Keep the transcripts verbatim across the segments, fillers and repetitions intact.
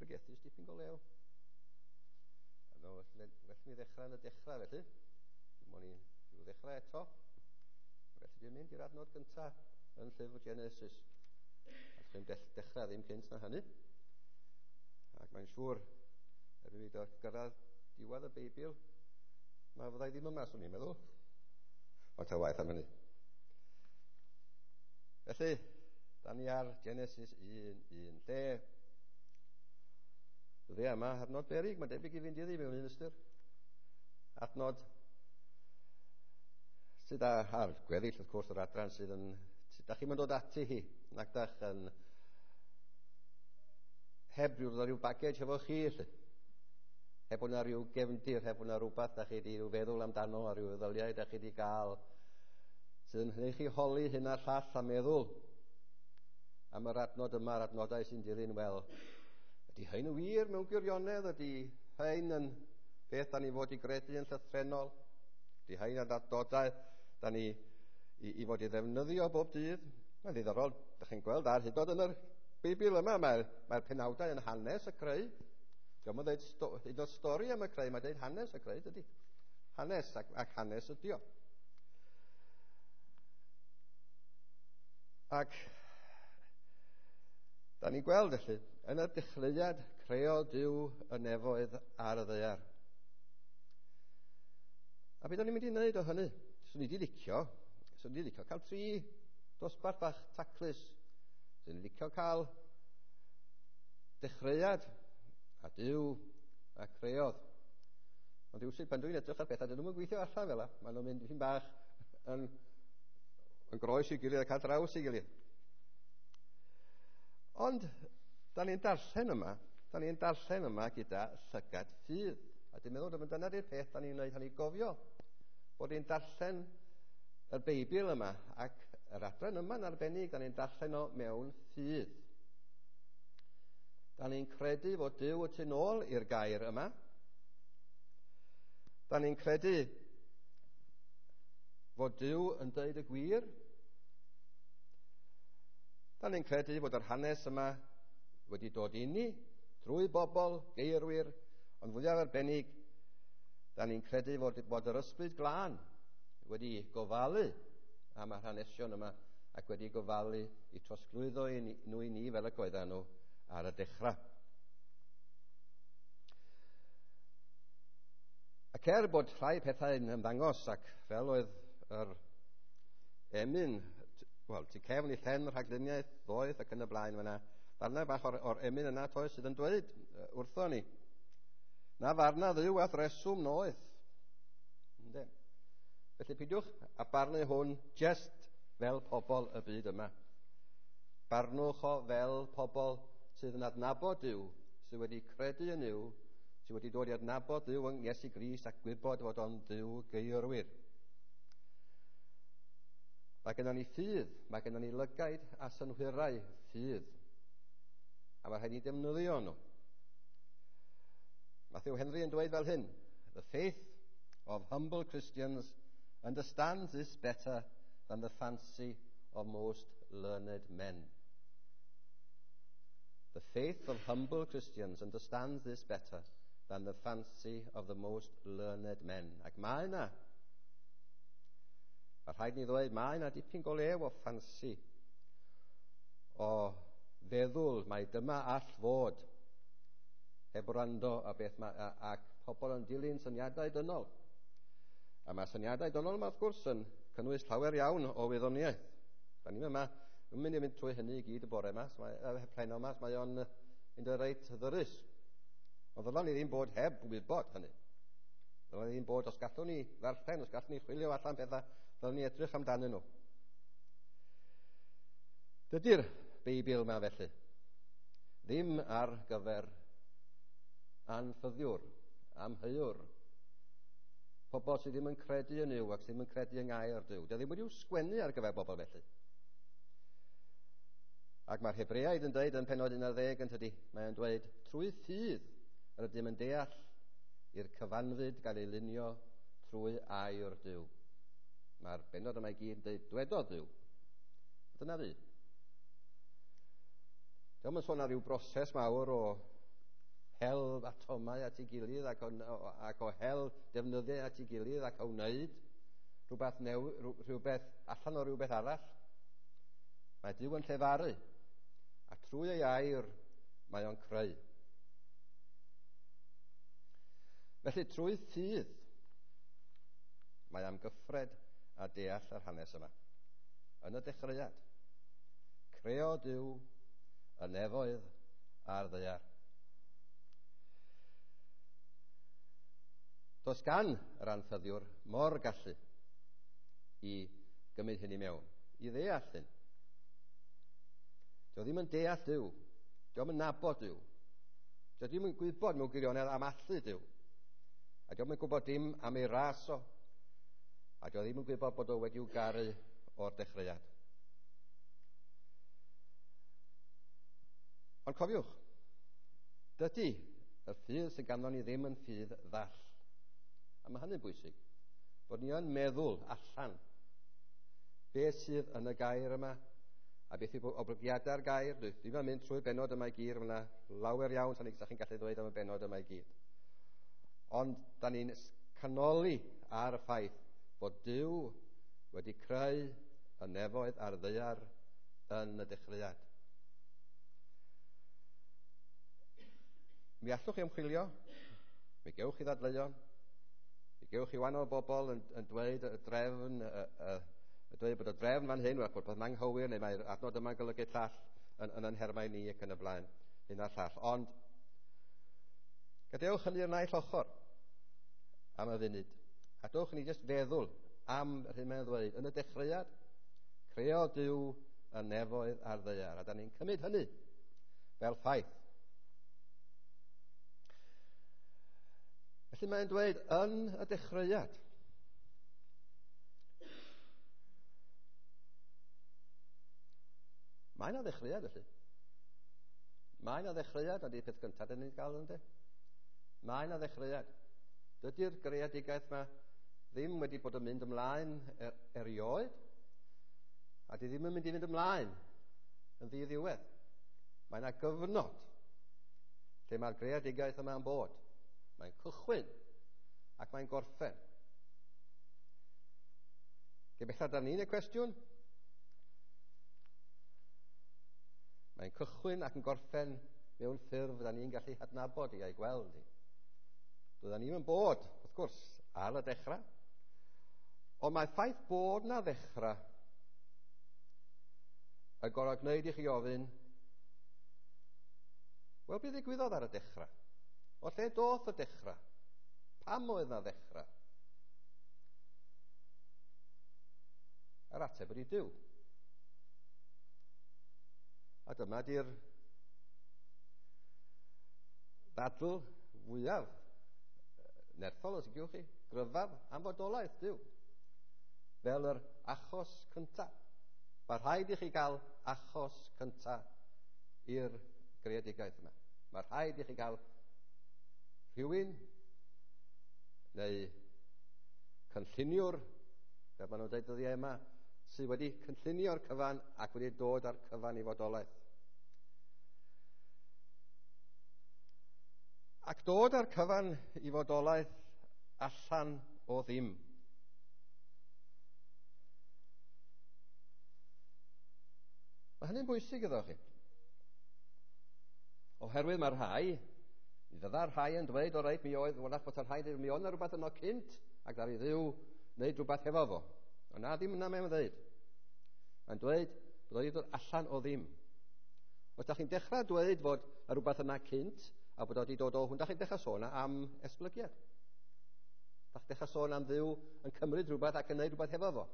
bregethu dipyn go lew. A no, well, well mi ddechrau yn y dechrau felly. Dwi'n moyn i rhyw ddechrau eto. Felly dwi'n mynd i'r adnod gyntaf yn llyfr Genesis. A dwi'n dechrau ddim cynt na hynny. Ac mae'n siŵr, erbyn fi gyrraedd diwedd y Beibl, mae fyddai ddim yma, swn i'n meddwl. Ond ta waeth am hynny. Felly, da ni ar Genesis un un, lle dyddiau yma adnod beryg, mae'n debyg i fynd iddi mewn un ystyr. Adnod sydd ar gweddill, wrth gwrs, yr adran sydd yn... Da chi'n dod ati hi, nac dach yn heb rhyw, rhyw baggage efo chi, lle. Heb bod yna rhyw gefndir, heb bod yna rhywbeth da chi wedi rhyw feddwl amdano a rhyw feddyliau da chi wedi gael sydd yn gwneud chi holi hyn a'r llall a meddwl am yr adnod yma, yr adnodau sy'n dilyn, wel, ydy hyn yn wir mewn gwirionedd? Ydy hyn yn beth da ni fod i gredu yn llythrennol? Ydy hyn yn adnodau da ni i, i fod i ddefnyddio bob dydd? Mae'n ddiddorol, da chi'n gweld ar hyd yn yr Beibl yma, mae'r mae penawdau yn hanes y creu. Dio'm yn dweud sto, hyd yn oed stori am y creu, mae'n dweud hanes y creu, dydy. Hanes ac, ac hanes ydy o. Ac da ni'n gweld felly, yn y dechreuad creodd Duw y nefoedd ar y ddaear. A beth o'n i'n mynd i wneud o hynny? Swn i wedi licio, swn i wedi licio cael tri dosbarth bach taclus. Swn i'n licio cael dechreuad a Duw a creodd. Ond rywsut pan dwi'n edrych ar bethau, dyn nhw'n gweithio allan fel la. Maen nhw'n mynd dipyn bach yn, yn groes i gilydd ac ar draws i gilydd. Ond, da ni'n darllen yma, da ni'n darllen yma gyda llygad ffydd. A dwi'n meddwl dyma dyna'r peth da ni'n gwneud hynny gofio. Bod ni'n darllen y Beibl yma ac yr adran yma'n arbennig, da ni'n darllen o mewn ffydd. Da ni'n credu fod Duw y tu nôl i'r gair yma. Da ni'n credu fod Duw yn dweud y gwir. Da ni'n credu fod yr hanes yma wedi dod i ni drwy bobl, geirwyr, ond fwyaf arbennig, da ni'n credu fod, bod yr Ysbryd Glân wedi gofalu am yr hanesion yma ac wedi gofalu i trosglwyddo i ni, nhw i ni fel y coedda nhw ar y dechrau. Ac er bod rhai pethau yn ymddangos ac fel oedd yr emyn, wel, tu cefn i llen rhagluniaeth ddoeth ac yn y blaen fyna, ddarnau bach o'r, or emyn yna toes sydd yn dweud wrtho ni, na farna Dduw a'th reswm noeth. Ynde? Felly pidiwch a barnu hwn just fel pobl y byd yma. Barnwch o fel pobl sydd yn adnabod Duw, sydd wedi credu yn Duw, sydd wedi dod i adnabod Duw yng Iesu Grist ac gwybod fod o'n Dduw geirwyr. Mae gennym ni ffydd, mae gennym ni lygaid a synhwyrau ffydd. A mae rhaid ni defnyddio nhw. Matthew Henry yn dweud fel hyn, The faith of humble Christians understands this better than the fancy of most learned men. The faith of humble Christians understands this better than the fancy of the most learned men. Ac mae yna, a rhaid ni ddweud, mae yna dipyn go lew o ffansi, o feddwl mai dyma all fod, heb wrando a beth ma, a, ac pobl yn dilyn syniadau dynol. A mae syniadau dynol yma, wrth gwrs, yn cynnwys llawer iawn o wyddoniaeth. Da ni'n yma, yn mynd i fynd trwy hynny i gyd y bore yma, so mae, preno yma, so mae o'n mynd yn reit ddyrus. Ond ddylan ni ddim bod heb wybod hynny. Ddylan ni ddim bod, os gallwn ni ddarllen, os gallwn ni chwilio allan pethau, ddylan ni edrych amdanyn nhw. Dydy'r Beibl yma felly ddim ar gyfer anffyddiwr, amheuwr, pobl sydd ddim yn credu yn Nuw ac sydd ddim yn credu yng ngair Duw. Dydy ddim wedi'w sgwennu ar gyfer bobl felly. Ac mae'r Hebreaid yn dweud yn pennod un ar ddeg yn tydi, mae'n dweud, trwy ffydd yr ydym yn deall i'r cyfanfyd gael ei lunio trwy air Duw. Mae'r bennod yma i gyd yn dweud, dwedodd Duw. Dyna fi. Dio'm yn sôn ar ryw broses mawr o hel atomau at ei gilydd ac o, ac o hel defnyddiau at ei gilydd ac o wneud rhywbeth, new, rhywbeth allan o rhywbeth arall. Mae Duw yn llefaru, a trwy ei air mae o'n creu. Felly trwy ffydd mae amgyffred a deall yr hanes yma. Yn y dechreuad, creo Duw y nefoedd a'r ddaear. Does gan yr anffyddiwr mor gallu i gymryd hyn i mewn, i ddeall hyn. Dio ddim yn deall Duw, dio ddim yn nabod Duw, dio ddim yn gwybod mewn gwirionedd am allu Duw, a dio ddim yn gwybod dim am ei ras o, a dio ddim yn gwybod bod o wedi'w garu o'r dechreuad. Ond cofiwch, dydy y ffydd sydd ganddo ni ddim yn ffydd ddall. A mae hynny'n bwysig, bod ni yn meddwl allan beth sydd yn y gair yma, a beth yw oblygiadau'r gair. Dwi ddim yn mynd trwy'r benod yma i gyd, mae yna lawer iawn sa'n chi'n gallu ddweud am y benod yma i gyd. Ond da ni'n canoli ar y ffaith bod Duw wedi creu y nefoedd a'r ddaear yn y dechreuad. Mi allwch chi ymchwilio, mi gewch chi ddadleuon, mi gewch chi wahanol bobl yn, yn dweud y drefn, y, y, y dweud bod y drefn fan hyn, bod peth anghywir, neu mae'r adnod yma'n golygu llall yn, yn yn nhermau ni ac yn y blaen, hyn a'r llall. Ond gadewch hynny i'r naill ochr am y funud, a dewch ni jyst feddwl am yr hyn mae'n ddweud. Yn y dechreuad, creo Duw y nefoedd a'r ddaear, a da ni'n cymryd hynny fel ffaith. Felly mae'n dweud yn y dechreuad. Mae yna ddechreuad felly. Mae yna ddechreuad, a di'r peth gyntaf dyn ni'n gael ynddo. Mae yna ddechreuad. Dydy'r greadigaeth yma ddim wedi bod yn mynd ymlaen er, erioed, a di ddim yn mynd i fynd ymlaen yn ddiddiwedd. Mae yna gyfnod lle mae'r greadigaeth yma'n bod. Mae'n cychwyn ac mae'n gorffen. Gobeithio da ni'n y cwestiwn. Mae'n cychwyn ac yn gorffen mewn ffurf da ni'n gallu hadnabod i a'i gweld i. Doedden ni'n bod, wrth gwrs, ar y dechrau. Ond mae ffaith bod na ddechrau y gorau gwneud i chi ofyn, wel, beth ddigwyddodd ar y dechrau? O lle doth y dechrau? Pam oedd na ddechrau? Yr ateb ydy Duw. A dyma di'r ddadl fwyaf nerthol, os ydych chi, gryfaf am fodolaeth Duw, fel yr achos cyntaf. Mae rhaid i chi gael achos cyntaf i'r greadigaeth yma. Mae rhaid i chi gael rhywun neu cynlluniwr, fel maen nhw'n dweud dyddiau yma, sydd wedi cynllunio'r cyfan ac wedi dod â'r cyfan i fodolaeth. Ac dod â'r cyfan i fodolaeth allan o ddim. Mae hynny'n bwysig iddo chi. Oherwydd mae rhai, mi fydda'r rhai yn dweud, o reit, mi oedd, wrach bod y rhai, mi oedd yna rhywbeth yno cynt, ac ddaru Dduw wneud rhywbeth hefo fo. Ond na, ddim yna mae'n dweud. Mae'n dweud bod o wedi dod allan o ddim. Os da chi'n dechrau dweud fod y rhywbeth yna cynt, a bod o wedi dod o hwn, da chi'n dechrau sôn am esblygiad. Da chi'n dechrau sôn am Dduw yn cymryd rhywbeth ac yn gwneud rhywbeth hefo fo.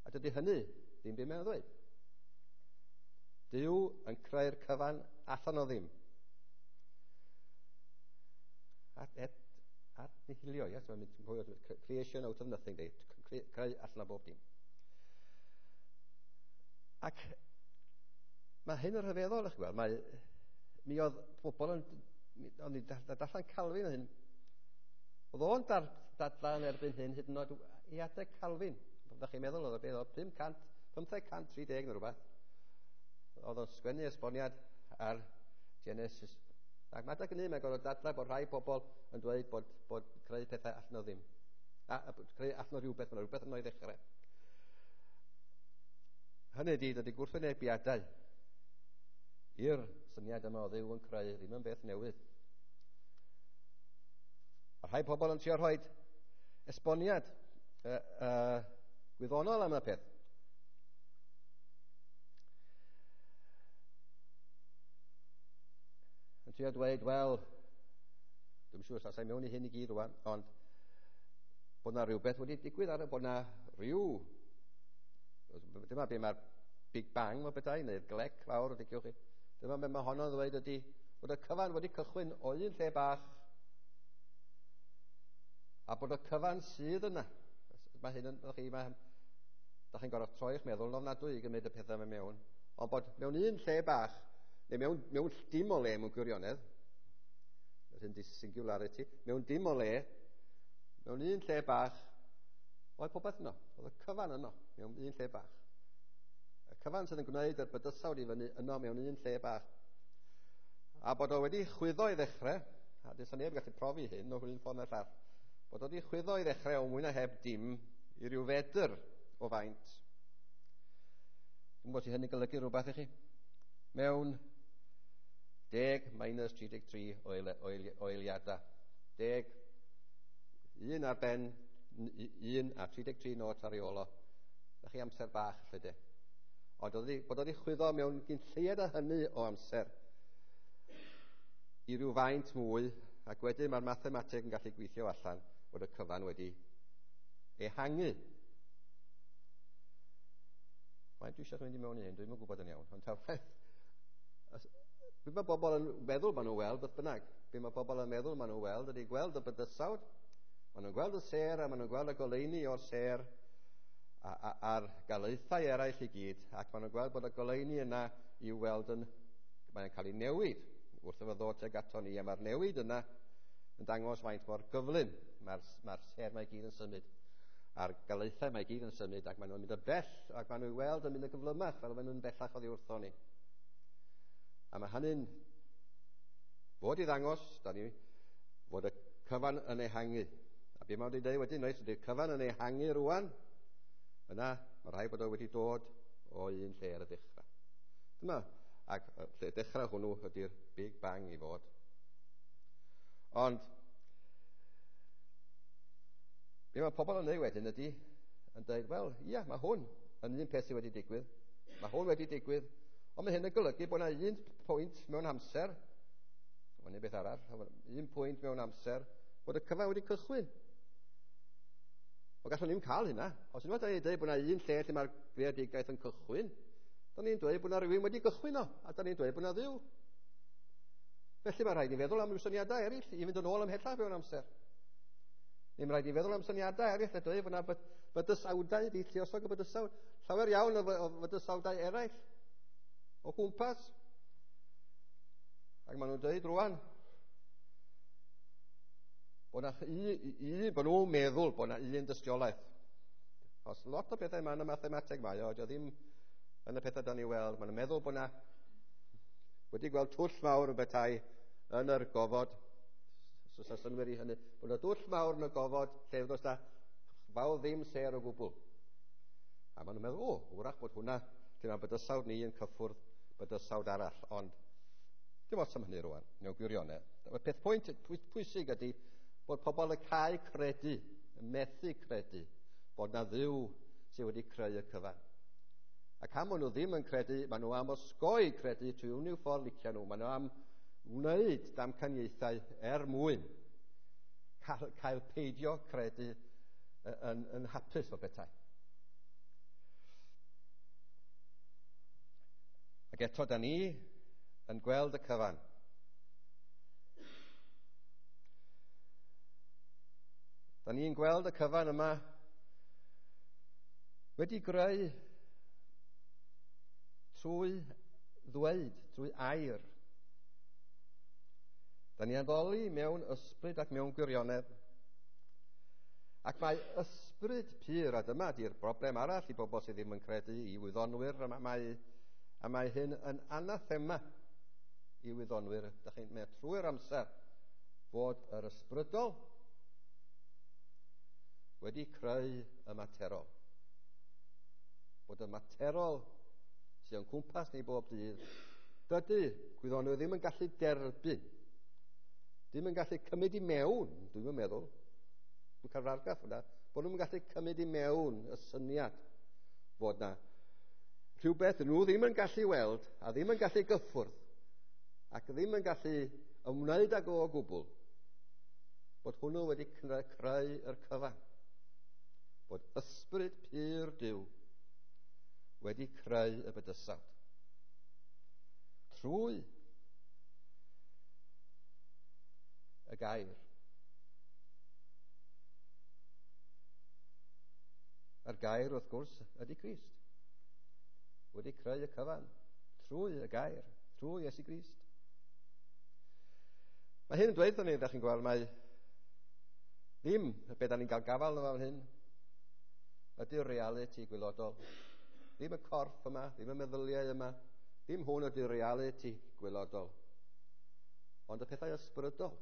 A dydy hynny ddim byd mae'n ddweud. Duw yn creu'r cyfan allan o ddim. At, et, at nihilio, yes, mae'n mynd creation out of nothing, de, creu allan o bob dim. Ac mae hyn yn rhyfeddol, eich gweld, mae, mi oedd pobl yn, o'n i darllen Calvin hyn, oedd o'n dar, dadlan erbyn hyn hyd yn oed i adeg Calvin. Byddech chi'n meddwl oedd o beth oedd pum cant, pymtheg cant tri deg neu rhywbeth. Oedd o'n sgwennu esboniad ar Genesis. Ac mae adeg hynny mae'n gorfod dadlau bod rhai pobl yn dweud bod, bod creu pethau allan o ddim. A, a creu allan o rhywbeth, mae rhywbeth yno i ddechrau. Hynny ydy, dydy gwrthwynebiadau i'r syniad yma o Dduw yn creu ddim yn beth newydd. A rhai pobl yn trio rhoi esboniad uh, uh, gwyddonol am y peth. Yn trio dweud, wel, dwi'n siŵr os allai mewn i hyn i gyd rwan, ond bod na rhywbeth wedi digwydd ar y, bod na rhyw, dyma be mae'r Big Bang o bethau, neu'r glec fawr, diciwch chi. Dyma be mae honno'n ddweud ydy, bod y cyfan wedi cychwyn o un lle bach, a bod y cyfan sydd yna. Mae hyn yn, chi, mae, da chi'n gorfod troi'ch meddwl yn ofnadwy i gymryd y pethau yma mewn, ond bod mewn un lle bach, neu mewn, mewn dim o le mewn gwirionedd, yr hyn di singularity, mewn dim o le, mewn un lle bach, oedd popeth yno, oedd y cyfan yno, mewn un lle bach. Y cyfan sydd yn gwneud yr bydysawd i fyny yno mewn un lle bach. A bod o wedi chwyddo i ddechrau, a does neb gallu profi hyn o un ffordd neu'r llall, bod o wedi chwyddo i ddechrau o mwy na heb dim i ryw fedr o faint. Dwi'n gwybod si hynny'n golygu rhywbeth i chi. Mewn deg minus tri deg tri o eiliadau. Deg, un ar ben, un a tri deg tri not ar ei ôl o. Da chi amser bach, lle de. Ond oedd bod oedd i chwyddo mewn gyn lleied a hynny o amser i ryw faint mwy, ac wedyn mae'r mathemateg yn gallu gweithio allan bod y cyfan wedi ehangu. Faint dwi eisiau mynd i mewn i hyn, dwi'm yn gwybod yn iawn, ond ta waeth. Be mae bobl yn meddwl maen nhw'n weld, beth bynnag. Be mae bobl yn meddwl maen nhw'n weld ydy gweld y bydysawd, maen nhw'n gweld y sêr a maen nhw'n gweld y goleuni o'r sêr a, a, a'r galaethau eraill i gyd, ac maen nhw'n gweld bod y goleuni yna i'w weld yn, mae'n cael ei newid wrth iddo ddod tuag ato ni, a mae'r newid yna yn dangos faint mor gyflym mae'r, mae'r sêr mae gyd yn symud, a'r galaethau mae gyd yn symud, ac maen nhw'n mynd yn bell, ac maen nhw'n weld yn mynd yn gyflymach fel maen nhw'n bellach oddi wrtho ni. A mae hynny'n fod i ddangos, da ni, fod y cyfan yn ehangu. A be mae'n wedi dweud wedyn, oes, ydy'r cyfan yn ehangu rwan, yna mae rhaid bod o wedi dod o un lle ar y dechrau. Dyma, ac lle dechrau hwnnw ydy'r Big Bang i fod. Ond, be mae pobl yn dweud wedyn ydy, yn dweud, wel, ia, mae hwn yn un peth sydd wedi digwydd. Mae hwn wedi digwydd, ond mae hyn yn golygu bod yna un pwynt mewn amser, mae'n un beth arall, un pwynt mewn amser, bod y cyfan wedi cychwyn. O gallwn ni'm cael hynna. Os unwaith da ni'n dweud bod yna un lle lle mae'r greadigaeth yn cychwyn, da ni'n dweud bod yna rhywun wedi gychwyn o, a da ni'n dweud bod yna Dduw. Felly mae rhaid i feddwl am ryw syniadau eraill i fynd yn ôl ymhellach mewn amser. Neu mae rhaid i feddwl am syniadau eraill a dweud bod yna bydysawdau, di lluosog y bydysawd, llawer iawn o fydysawdau eraill o gwmpas. Ac maen nhw'n dweud rwan bod na un, bod nhw'n meddwl bod na un dystiolaeth. Os lot o bethau yma yn y mathemateg mae o, dio ddim yn y pethau da ni weld. Maen nhw'n meddwl bod na wedi gweld twll mawr yn bethau yn yr gofod. So sa synwyr i hynny, bod na dwll mawr yn y gofod lle does na fawr ddim sêr o gwbl. A maen nhw'n meddwl, o, wrach bod hwnna, lle mae bydysawd ni yn cyffwrdd bydysawd arall, ond dim ots am hynny rwan, mewn gwirionedd. Y peth pwynt pwysig ydy bod pobl yn cael credu, yn methu credu, bod na Dduw sydd wedi creu y cyfan. Ac am maen nhw ddim yn credu, maen nhw am osgoi credu trwy unrhyw ffordd licio nhw. Maen nhw am wneud damcaniaethau er mwyn cael, cael peidio credu yn, yn hapus o bethau. Ac eto, da ni yn gweld y cyfan. Da ni'n gweld y cyfan yma wedi greu trwy ddweud, trwy air. Da ni'n addoli mewn ysbryd ac mewn gwirionedd. Ac mae ysbryd pur, a dyma di'r broblem arall i bobl sydd ddim yn credu, i wyddonwyr, a mae, a mae hyn yn anathema i wyddonwyr, da chi'n meddwl trwy'r amser fod yr ysbrydol wedi creu y materol. Bod y materol sydd o'n cwmpas ni bob dydd, dydy gwyddonwyr ddim yn gallu derbyn, ddim yn gallu cymryd i mewn, dwi'n meddwl, dwi'n cael argraff hwnna, bod nhw'n gallu cymryd i mewn y syniad fod na rhywbeth nhw ddim yn gallu weld a ddim yn gallu gyffwrdd ac ddim yn gallu ymwneud ag o gwbl, bod hwnnw wedi creu yr cyfan. Bod ysbryd pur Duw wedi creu y bydysawd. Trwy y gair. A'r gair, wrth gwrs, ydy Crist. Wedi creu y cyfan trwy y gair, trwy Iesu Grist. Mae hyn yn dweud wrthon ni, ydych chi'n gweld, mae ddim be da ni'n cael gafael yma fan hyn ydy'r reality gwylodol. Ddim y corff yma, ddim y meddyliau yma, ddim hwn ydy'r reality gwylodol. Ond y pethau ysbrydol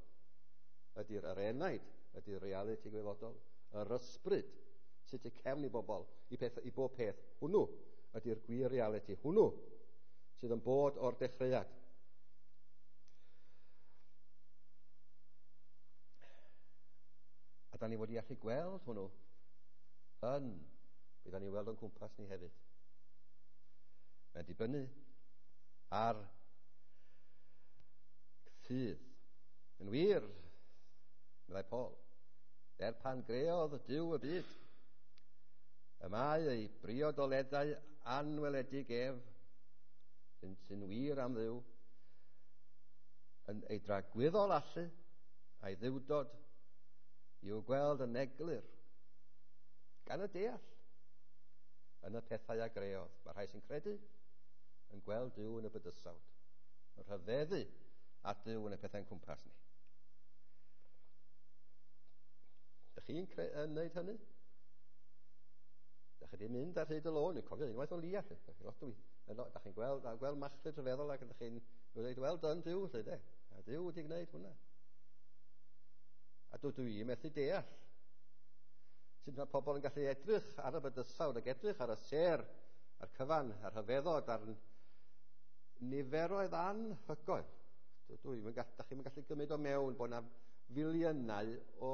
ydy'r yr enaid, ydy'r reality gwylodol. Yr ysbryd sydd tu cefn i bobl, i, peth, i bob peth, hwnnw ydy'r gwir reality, hwnnw sydd yn bod o'r dechreuad. A da ni wedi allu gweld hwnnw yn be da ni weld o'n cwmpas ni hefyd. Mae'n dibynnu ar ffydd. Yn wir, meddai Paul, er pan greodd Duw y byd, y mae ei briodoleddau anweledig ef, sy'n, sy'n wir am Dduw, yn ei dragwyddol allu a'i ddiwdod i'w gweld yn eglur gan y deall yn y pethau a greodd. Mae rhai sy'n credu yn gweld Duw yn y bydysawd, yn rhyfeddu at Duw yn y pethau'n cwmpas ni. Dych chi'n cre- yn wneud hynny? Dych chi wedi mynd ar hyd y lôn, dwi'n cofio unwaith o lia, lot dwi. Dych chi'n gweld, gweld machlud rhyfeddol ac ydych chi'n dweud, wel, dyn Duw, lle de. A Duw wedi gwneud hwnna. A dwi i methu deall sut mae pobl yn gallu edrych ar y bydysawd ac edrych ar y sêr, a'r cyfan, a'r rhyfeddod, a'r niferoedd anhygoel. Dwi, dwi, da chi'n gallu gymryd o mewn bod yna filiynau o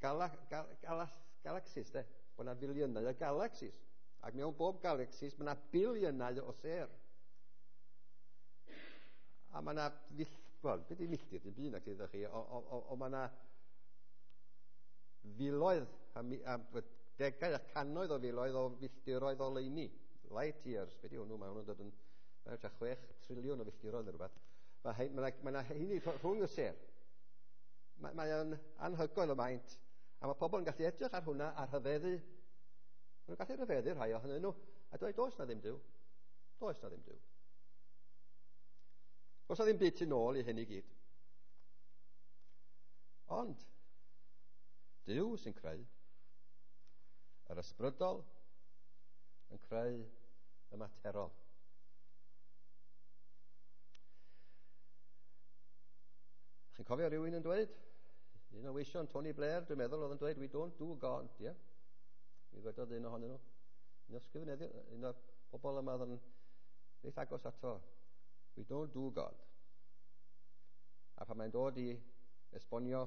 gala, gal, gala, galaxies, de? Bod yna filiynau o galaxies. Ac mewn bob galaxies mae yna biliynau o sêr. A mae yna, wel, beth ydy milltir, dim byd nag ydych chi, o, o, o, o mae yna filoedd, a, a degau a cannoedd o filoedd o filltiroedd o leini. Light years, beth yw hwnnw? Mae hwnnw'n dod yn tua chwech triliwn o filltiroedd neu rhywbeth. Mae yna ma ma heini rhwng y sêr. Mae, mae o'n anhygoel o maint. A mae pobl yn gallu edrych ar hwnna a rhyfeddu. Maen nhw'n gallu rhyfeddu rhai ohonyn nhw. A dweud, does na ddim Duw. Does na ddim Duw. Does na ddim byd tu nôl i hyn i gyd. Ond, Duw sy'n creu yr ysbrydol yn creu y materol. Chi'n cofio rhywun yn dweud? Un o weision Tony Blair, dwi'n meddwl, oedd yn dweud, we don't do God, ie? Yeah? Mi ddwedodd un ohonyn nhw. Un o'r sgrifenyddion, un o'r bobl yma oedd yn reit agos ato. We don't do God. A pan mae'n dod i esbonio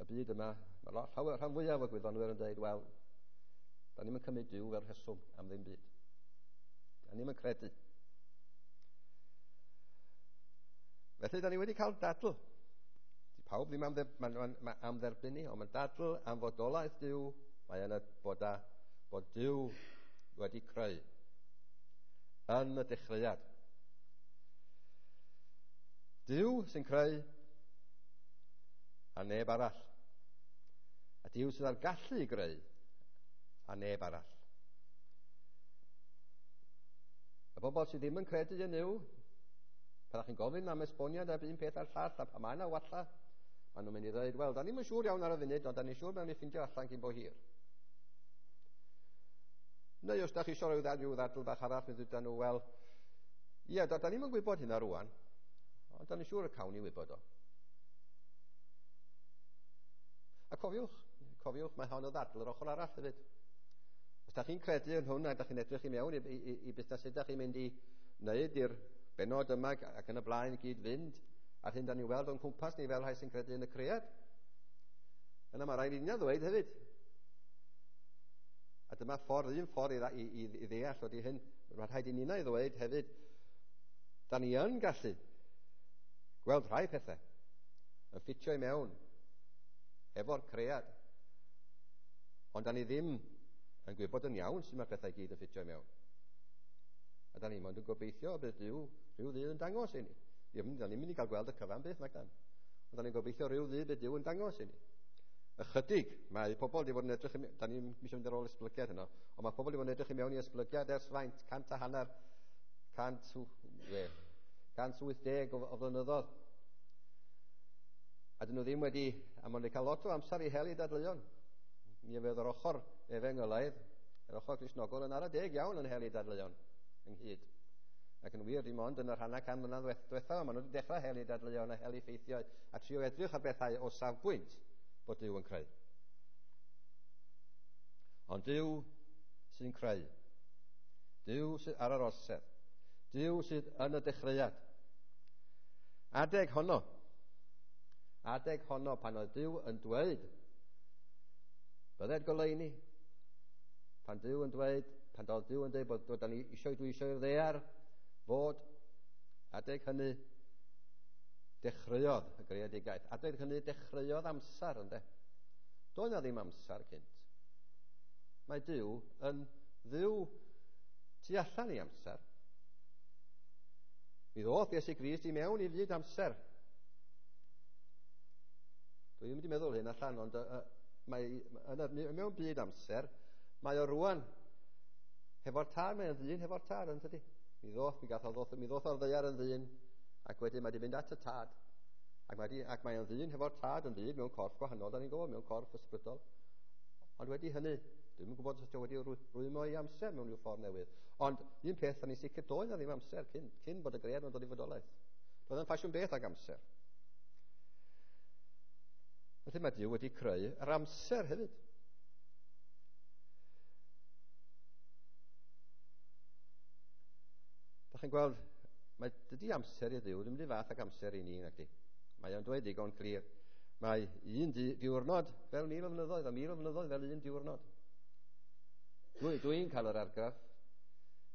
y byd yma, mae llawer, rhan fwyaf o gwyddonwyr yn dweud, wel, da ni'm yn cymryd Duw fel rheswm am ddim byd. Da ni'm yn credu. Felly, da ni wedi cael dadl. Di pawb ddim am, dder, ma, am dderbyn ni, ond mae'n dadl am fodolaeth Duw. Mae yna bod, a, bod Duw wedi creu yn y dechreuad. Duw sy'n creu a neb arall. A Duw sydd â'r gallu i greu a neb arall. Y bobl sydd ddim yn credu yn Nuw, pan chi'n gofyn am esboniad am un peth a'r llall, a pan mae yna walla, maen nhw'n mynd i ddweud, wel, da ni'm yn siŵr iawn ar y funud, ond da ni'n siŵr mewn i ffindio allan cyn bo hir. Neu os da chi eisiau rhyw ddadl, rhyw ddadl bach arall, mi ddweud nhw, wel, Ia, da, da ni'm yn gwybod hynna rwan, ond da ni'n siŵr y cawn ni wybod o. A cofiwch, cofiwch, mae hon o ddadl yr ochr arall hefyd. Os da chi'n credu yn hwn a da chi'n edrych i mewn i, i, i busnes sut da chi'n mynd i wneud i'r benod yma ac yn y blaen i gyd fynd, a'r hyn da ni'n weld o'n cwmpas ni fel rhai sy'n credu yn y cread, yna mae rhaid i ni ddweud hefyd. A dyma ffordd, un ffordd i, i, i ddeall ydy hyn, mae rhaid i ninnau ddweud hefyd, da ni yn gallu gweld rhai pethau yn ffitio i mewn efo'r cread, ond da ni ddim yn gwybod yn iawn sut mae pethau gyd yn ffitio i mewn. A da ni mond yn gobeithio bydd Duw rhyw ddydd yn dangos i ni. Da ni'n mynd i gael gweld y cyfan byth, nag dan. Ond da ni'n gobeithio rhyw ddydd bydd Duw yn dangos i ni. Ychydig, mae pobl wedi bod yn edrych, da ni'n eisiau mynd ar ôl esblygiad yno, ond mae pobl wedi bod yn edrych i mewn i esblygiad ers faint, cant a hanner, cant, we, cant wyth deg o, o flynyddoedd. A dyn nhw ddim wedi, a maen nhw wedi cael lot o amser i hel i dadleuon. Mi fydd yr ochr efengylaidd, yr ochr Gristnogol yn ara deg iawn yn hel i dadleuon ynghyd. Ac yn wir, dim ond yn y rhannau can mlynedd diwethaf, maen nhw wedi dechrau hel i dadleuon a hel i ffeithiau a trio edrych ar bethau o safbwynt bod Duw yn creu. Ond Duw sy'n creu. Duw sydd ar yr orsedd. Duw sydd yn y dechreuad. Adeg honno, adeg honno pan oedd Duw yn dweud, bydded goleuni, pan Duw yn dweud, pan oedd Duw yn dweud bod, bod ni eisiau, dwi eisiau i'r ddaear fod, adeg hynny dechreuodd y greadigaeth. Adeg hynny dechreuodd amser, ynde? Doedd na ddim amser cynt. Mae Duw yn Dduw tu allan i amser. Mi ddoth Iesu Grist i mewn i fyd amser. Dwi ddim wedi meddwl hyn allan, ond uh, mae yn, mewn byd amser, mae o rwan hefo'r tad, mae'n ddyn hefo'r tad, yn tydi? Mi ddoth, mi gath o ddoth, mi ddoth o'r ddaear yn ddyn, ac wedyn mae wedi mynd at y tad. Ac mae, di, ac mae o'n ddyn hefo'r tad yn ddyn mewn corff gwahanol, da ni'n gwybod, mewn corff ysbrydol. Ond wedi hynny, dwi'm yn gwybod os ydy o wedi rwymo i amser mewn rhyw ffordd newydd. Ond un peth, da ni'n sicr, doedd na ddim amser cyn, cyn bod y gread yn dod i fodolaeth. Doedd yn ffasiwn beth ag amser. Felly mae Duw wedi creu yr amser hefyd. Da chi'n gweld, mae dydy amser i Dduw ddim wedi fath ag amser i ni, nag di. Mae o'n dweud digon clir. Mae un diwrnod fel mil o flynyddoedd, a mil o flynyddoedd fel un diwrnod. Dwi, dwi'n cael yr argraff,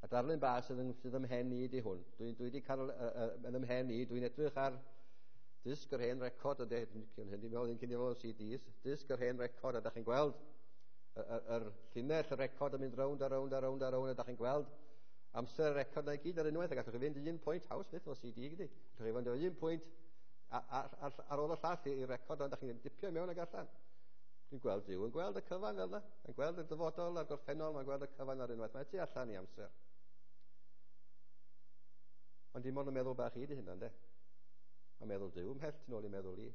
a darlun bach sydd yn, sydd ym mhen i di hwn. Dwi, dwi wedi cael uh, uh, yn ymhen i, dwi'n edrych ar disg yr hen record, a hyn dwi'n meddwl cyn i fod C Ds, disg yr hen record, a da chi'n gweld yr llinell y record yn mynd rownd a rownd a rownd a rownd, a da chi'n gweld amser y record na i gyd ar unwaith, a gallwch chi fynd i un pwynt, haws byth o C D gyda. Gallwch chi fynd o un pwynt ar, ar, ar ôl y llall i'r record, ond da chi'n dipio mewn ag allan. Dwi'n gweld Duw yn gweld y cyfan fel yna. Mae'n gweld y dyfodol a'r gorffennol, mae'n gweld y cyfan ar unwaith. Mae tu allan i amser. Ond dim ond yn meddwl bach i di hynna, ynde? Mae'n meddwl Duw ymhell tu nôl i meddwl i.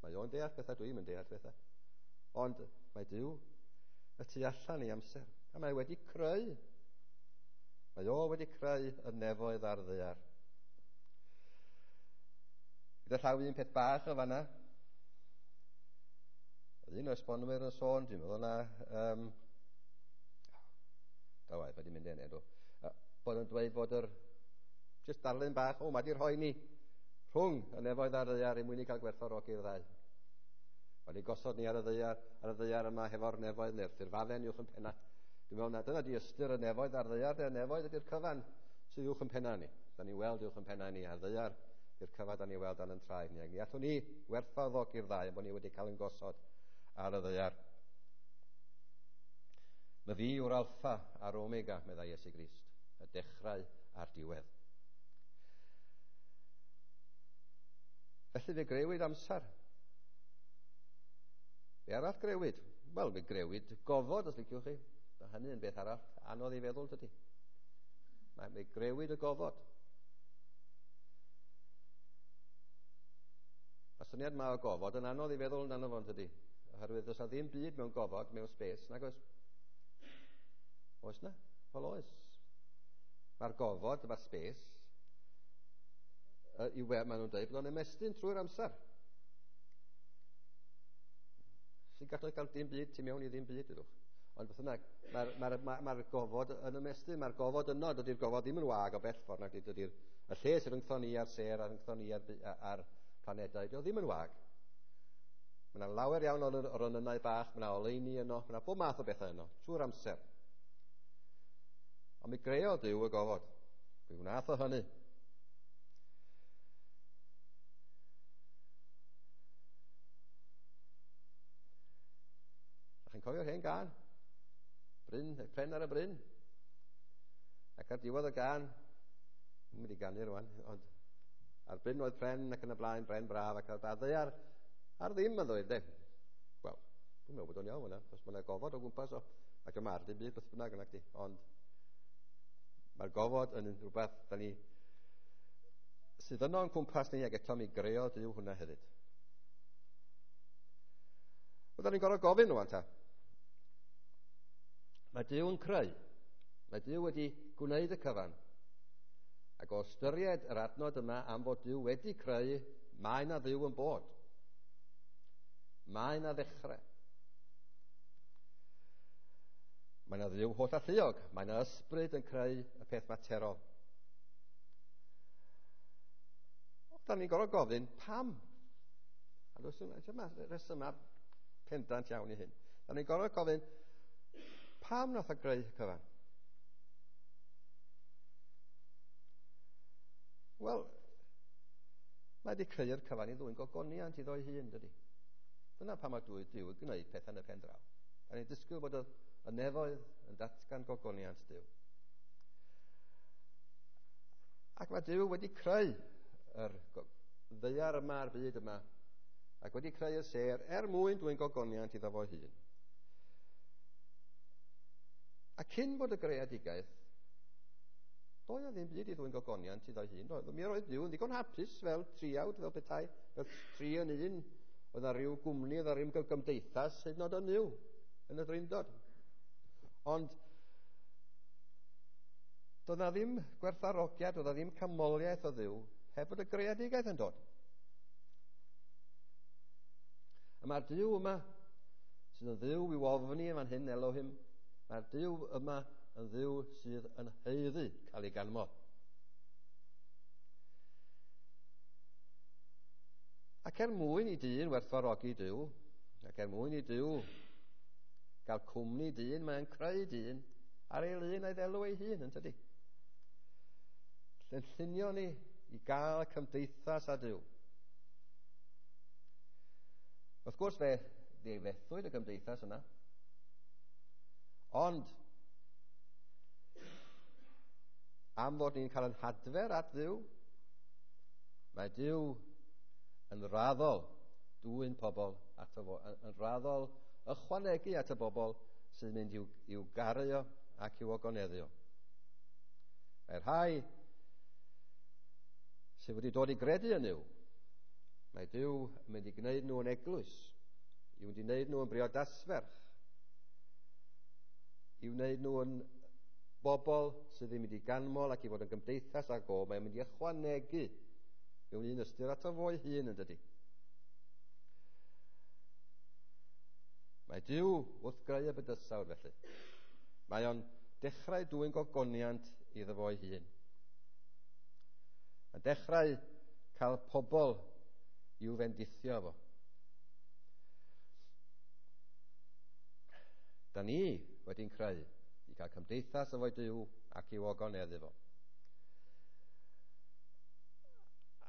Mae o'n deall pethau, dwi'n yn deall pethau. Ond mae Duw y tu allan i amser. A mae wedi creu. Mae o wedi creu y nefoedd a'r ddaear. Gyda llaw un peth bach o fanna. Oedd un o esbonwyr yn sôn, dwi'n meddwl na, um, da waith, mae wedi mynd enw, uh, bod yn dweud fod yr, jyst darlun bach, o, mae wedi rhoi ni rhwng y nefoedd a'r ddaear i mwyn i cael gwerthfawrogi'r ddau. Mae wedi gosod ni ar y ddaear, ar y ddaear yma hefo'r nefoedd neu'r ffurfafen uwch yn penna. Dwi'n meddwl na dyna di ystyr y nefoedd a'r ddaear, y nefoedd ydy'r cyfan sydd uwch yn penna ni. Da ni'n weld uwch yn penna ni a'r ddaear ydy'r cyfan da ni'n weld dan yn traed ni. Ac ni allwn ni werthfawrogi'r ddau bod ni wedi cael yn gosod ar y ddaear. Mae fi yw'r alffa a'r omega, meddai Iesu Grist, y dechrau a'r diwedd. Felly fe greuwyd amser. Be arall greuwyd? Wel, fe greuwyd gofod, os liciwch chi. Mae hynny yn beth arall anodd i feddwl, dydy. Mae fe greuwyd y gofod. Mae syniad ma o gofod yn anodd i feddwl amdano fo, dydy. Oherwydd does na ddim byd mewn gofod, mewn space, nag oes? Oes na? Wel oes. Mae'r gofod, mae'r space, i we, maen nhw'n dweud bod o'n ymestyn trwy'r amser. Sy'n gallu cael dim byd tu mewn i ddim byd, ydwch. Ond beth bynnag, mae'r ma, ma, ma gofod yn ymestyn, mae'r gofod yno, dydy'r gofod ddim yn wag o bell ffordd, nag dydy'r y lle sydd rhyngtho ni a'r sêr a rhyngtho ni a'r, a'r planedau, dydy o ddim yn wag. Mae yna lawer iawn o'r ronynnau bach, mae yna oleuni yno, mae yna bob math o bethau yno, trwy'r amser. Ond mi greodd Duw y gofod. Mi wnaeth o hynny. A chi'n cofio'r hen gân? Bryn, pren ar y bryn. Ac ar diwedd y gân, dwi'n mynd i ganu rwan, ond ar bryn oedd pren ac yn y blaen, bren braf ac ar ddaear, ar ddim yn ddweud, de. Wel, dwi'n meddwl bod o'n iawn yna, achos mae yna gofod o gwmpas o, ac yma ar dim byd beth bynnag yna chdi, ond mae'r gofod yn rhywbeth da ni sydd yno yn cwmpas ni, ac eto mi greodd Duw hwnna hefyd. Wel, da ni'n gorfod gofyn rwan ta. Mae Duw yn creu. Mae Duw wedi gwneud y cyfan. Ac o ystyried yr adnod yma am fod Duw wedi creu, mae yna Dduw yn bod. Mae yna ddechrau. Mae yna Dduw holl alluog. Mae yna ysbryd yn creu y peth materol. Da ni'n gorfod gofyn pam? A does dim rhesymau pendant iawn i hyn. Da ni'n gorfod gofyn pam nath o greu y cyfan? Wel, mae wedi creu'r cyfan i ddwyn gogoniant iddo'i hun, dydy. Dyna pam mae Duw yn gwneud pethau yn y pen draw. Da ni'n disgwyl bod y, y nefoedd yn datgan gogoniant Duw. Ac mae Duw wedi creu yr ddaear yma a'r byd yma, ac wedi creu y sêr er mwyn dwyn gogoniant iddo fo'i hun. A cyn bod y greadigaeth, doedd o ddim byd i ddwyn gogoniant iddo'i hun. Doedd. Mi oedd Duw yn ddigon hapus fel triawd, fel petai, fel tri yn un. Oedd na ryw gwmni, oedd na ryw gymdeithas, hyd yn oed yn Nuw, yn y Drindod. Ond doedd na ddim gwerthfawrogiad, doedd na ddim canmoliaeth o Dduw, heb bod y greadigaeth yn dod. A mae'r Duw yma, sydd yn Dduw i'w ofni yn fan hyn, Elohim, mae'r Duw yma yn Dduw sydd yn haeddu cael ei ganmol. Ac er mwyn i dyn werthfawrogi Duw, ac er mwyn i Duw gael cwmni dyn, mae'n creu dyn ar ei lun a'i ddelw ei hun, yn tydi? Lle'n llunio ni i gael cymdeithas â Duw. Wrth gwrs fe ddifethwyd y gymdeithas yna, ond am fod ni'n cael yn hadfer at Dduw, mae Duw yn raddol dwyn pobl ato fo, yn raddol ychwanegu at y bobl sydd yn mynd i'w, i'w garu o ac i'w ogoneddu o. Mae'r rhai sydd wedi dod i gredu yn Nuw, mae Duw yn mynd i gwneud nhw yn eglwys, i mynd i wneud nhw yn briodasferch, i wneud nhw yn bobl sydd yn mynd i ganmol ac i fod yn gymdeithas ag o, mae'n mynd i ychwanegu mewn un ystyr ato fo'i hun, yn dydy. Mae Duw wrth greu y bydysawd felly. Mae o'n dechrau dwyn gogoniant iddo fo'i hun. Mae'n dechrau cael pobl i'w fendithio fo. Da ni wedi'n creu i cael cymdeithas efo'i Duw ac i'w ogoneddu fo.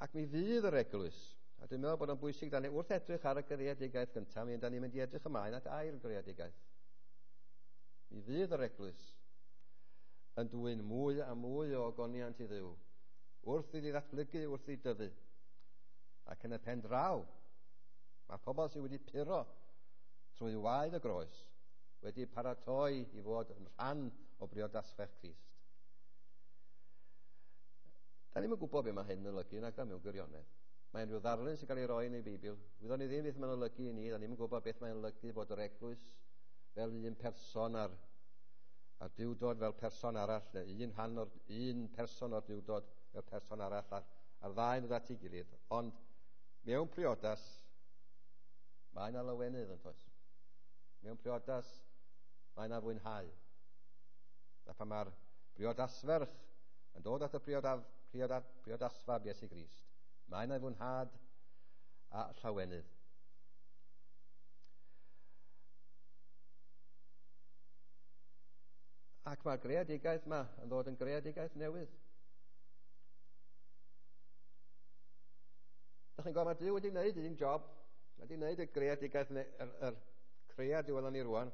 Ac mi fydd yr eglwys, a dwi'n meddwl bod o'n bwysig, da ni wrth edrych ar y greadigaeth gyntaf, mi da ni'n mynd i edrych ymlaen at ail greadigaeth. Mi fydd yr eglwys yn dwyn mwy a mwy o ogoniant i Dduw, wrth iddi ddatblygu, wrth iddi dyfu. Ac yn y pen draw, mae pobl sydd wedi puro trwy waed y groes wedi paratoi i fod yn rhan o briodasferch Crist. Da ni'm yn gwybod beth mae hyn yn olygu, nag da mewn gwirionedd. Mae'n rhyw ddarlun sy'n cael ei roi yn ei Beibl. Wyddon ni ddim beth mae'n olygu i ni, da ni'm yn gwybod beth mae'n olygu bod yr eglwys fel un person ar, A'r duwdod fel person arall, neu un rhan o'r un person o'r duwdod fel person arall, a'r, a'r ddau yn dod at ei gilydd. Ond mewn priodas, mae yna lawenydd yn toes. Mewn priodas, mae yna fwynhau. A pan mae'r briodasferch yn dod at y priodaf, priodaf, priodasfab Iesu Grist, mae yna fwynhad a llawenydd. Ac mae'r greadigaeth yma yn ddod yn greadigaeth newydd. Dach chi'n gweld, mae Duw wedi gwneud un job. Mae wedi gwneud y greadigaeth, yr, yr cread i welon ni rwan.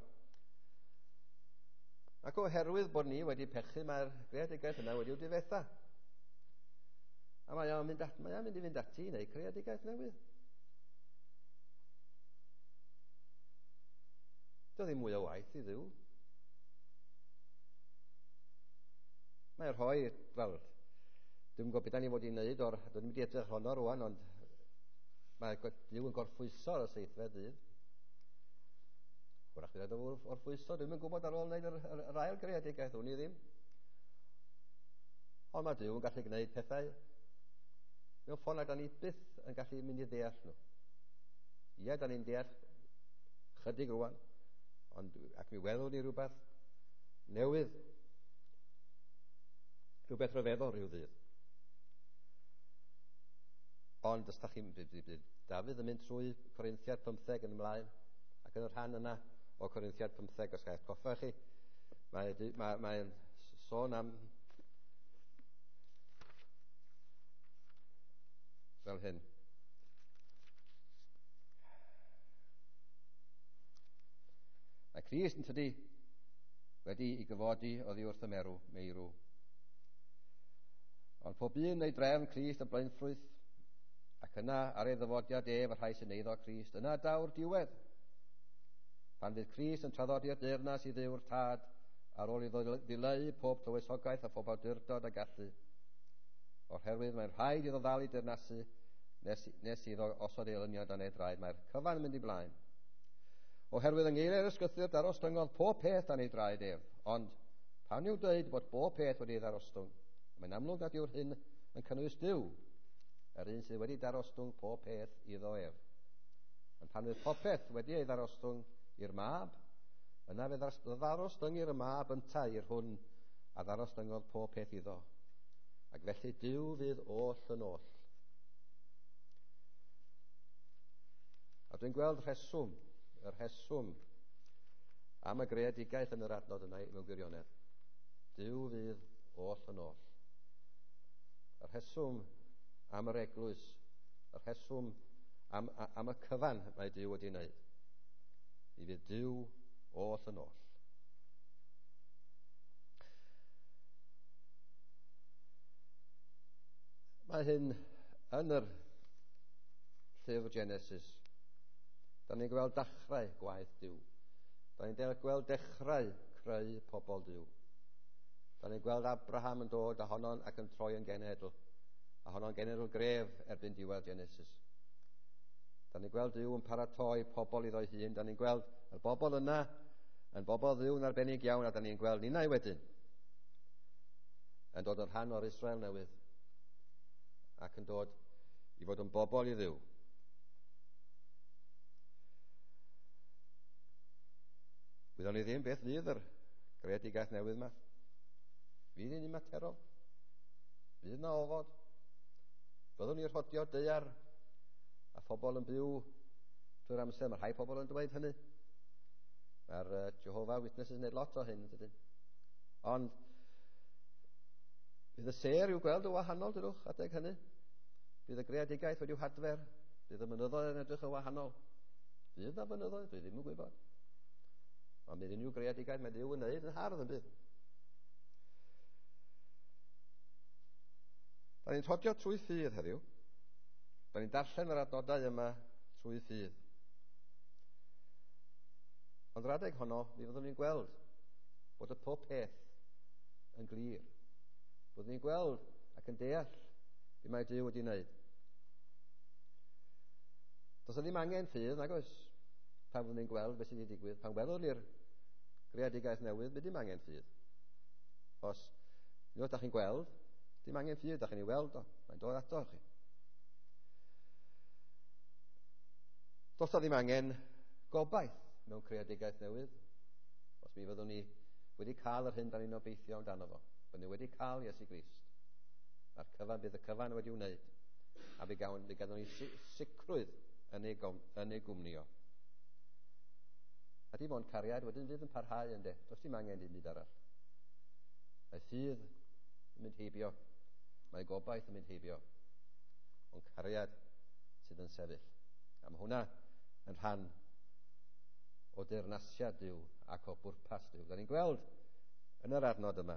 Ac oherwydd bod ni wedi pechu, mae'r greadigaeth yna wedi'w difetha. A mae o'n mynd, at, mae o'n mynd i fynd ati i wneud creadigaeth newydd. Doedd ddim mwy o waith i Dduw. Mae'n rhoi, wel, dwi'n gwybod beth da ni fod i wneud o'r, dwi'n mynd i edrych honno rwan, ond mae Duw yn gorffwyso ar y seithfed ddydd. Hwrach bydd o'n orffwyso, dwi'n yn gwybod ar ôl wneud yr, yr, yr ail greadigaeth, wn i ddim. Ond mae Duw yn gallu gwneud pethau mewn ffordd na da ni byth yn gallu mynd i ddeall nhw. Ie, da ni'n deall chydig rwan, ond ac mi welwn ni rhywbeth newydd, rhywbeth rhyfeddol rhyw ddydd. Ond os da chi'n... Dafydd yn mynd trwy Corinthiad pymtheg yn ymlaen, ac yn y rhan yna o Corinthiad pymtheg, os gael atgoffa chi, mae'n mae, mae sôn am fel hyn. Mae Crist yn tydi wedi i gyfodi oddi wrth y merw, meirw. Ond pob un neu drefn Crist y blaenffrwyth, ac yna ar ei ddyfodiad ef y rhai sy'n eiddo Crist, yna daw'r diwedd. Pan fydd Crist yn traddodi'r deyrnas i Dduw'r Tad, ar ôl iddo ddileu pob tywysogaeth a phob awdurdod a gallu. Oherwydd mae'n rhaid iddo ddal i deyrnasu nes, nes iddo osod ei elynion dan ei draed. Mae'r cyfan yn mynd i blaen. Oherwydd yng ngeiriau'r ysgrythur darostyngodd pob peth dan ei draed ef. Ond pan yw dweud bod bob peth wedi ei ddarostwng, mae'n amlwg nad yw'r hyn yn cynnwys Duw, yr un sydd wedi darostwng pob peth iddo ef. Ond pan fydd popeth wedi ei ddarostwng i'r mab, yna fe ddarostyngir y mab yntau i'r hwn a ddarostyngodd pob peth iddo. Ac felly Duw fydd oll yn oll. A dwi'n gweld rheswm, y rheswm am y greadigaeth yn yr adnod yna mewn gwirionedd. Duw fydd oll yn oll. Y rheswm am yr eglwys, y rheswm am, am y cyfan mae Duw wedi wneud. Mi fydd Duw oll yn oll. Mae hyn yn yr llyfr Genesis. Da ni'n gweld dechrau gwaith Duw. Da ni'n gweld dechrau creu pobl Duw. Da ni'n gweld Abraham yn dod a honno'n ac yn troi yn genedl. A honno'n genedl gref erbyn diwedd Genesis. Da ni'n gweld Duw yn paratoi pobl iddo'i hun. Da ni'n gweld y bobl yna yn bobl Dduw'n arbennig iawn, a da ni'n gweld ninnau wedyn yn dod yn rhan o'r Israel newydd ac yn dod i fod yn bobl i Dduw. Wyddwn ni ddim beth fydd yr greadigaeth newydd yma. Fydd hi'n materol. Fydd yna ofod. Byddwn ni'n rhodio daear a phobl yn byw trwy'r amser. Mae rhai pobl yn dweud hynny. Mae'r uh, Jehovah Witnesses yn gwneud lot o hyn, dydyn. Ond bydd y sêr i'w gweld yn wahanol, dydwch, adeg hynny. Bydd y greadigaeth wedi'w hadfer. Bydd y mynyddoedd yn edrych yn wahanol. Bydd yna fynyddoedd, dwi ddim yn gwybod. Ond bydd unrhyw greadigaeth mae Duw yn wneud yn hardd yn bydd. Da ni'n rhodio trwy ffydd heddiw. Da ni'n darllen yr adnodau yma trwy ffydd. Ond yr adeg honno, mi fyddwn ni'n gweld bod y pob peth yn glir. Byddwn ni'n gweld ac yn deall be mae Duw wedi wneud. Does yna ddim angen ffydd, nag oes, pan fyddwn ni'n gweld beth sydd wedi digwydd. Pan welwn ni'r greadigaeth newydd, bydd dim angen ffydd. Os unwaith da chi'n gweld, dim angen ffydd, da chi'n ei weld o, mae'n dod ato chi. Does na ddim angen gobaith mewn creadigaeth newydd. Os mi fyddwn ni wedi cael yr hyn da ni'n obeithio amdano fo. Byddwn ni wedi cael Iesu Grist. A'r cyfan, bydd y cyfan wedi wneud. A fe gawn, fe gawn ni sicrwydd yn ei, gom, yn ei gwmni o. A dim ond cariad wedyn fydd yn parhau ynde. Does dim angen dim byd arall. Mae ffydd yn mynd heibio. Mae gobaith yn mynd heibio. Ond cariad sydd yn sefyll. A mae hwnna yn rhan o deyrnasiad Duw ac o bwrpas Duw. Da ni'n gweld yn yr adnod yma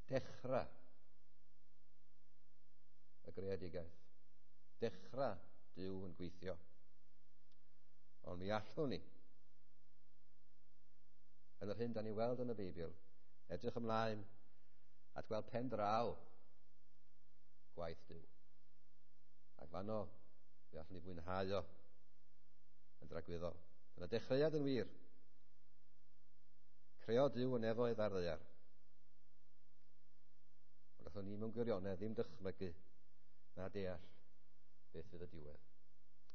dechrau y greadigaeth. Dechrau Duw yn gweithio. Ond mi allwn ni, yn yr hyn da ni weld yn y Beibl, edrych ymlaen at gweld pen draw gwaith Duw. Ac fanno, fe allwn ni fwynhau o yn dragwyddol. Dyna dechreuad yn wir. Creo Duw y nefoedd a'r ddaear. Ond allwn ni mewn gwirionedd ddim dychmygu na deall beth fydd y diwedd.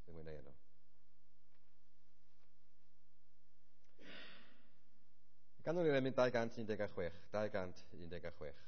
Ddim mwynhau yno. Ganwn ni'r emyn dau gant un deg chwech, dau gant un deg chwech.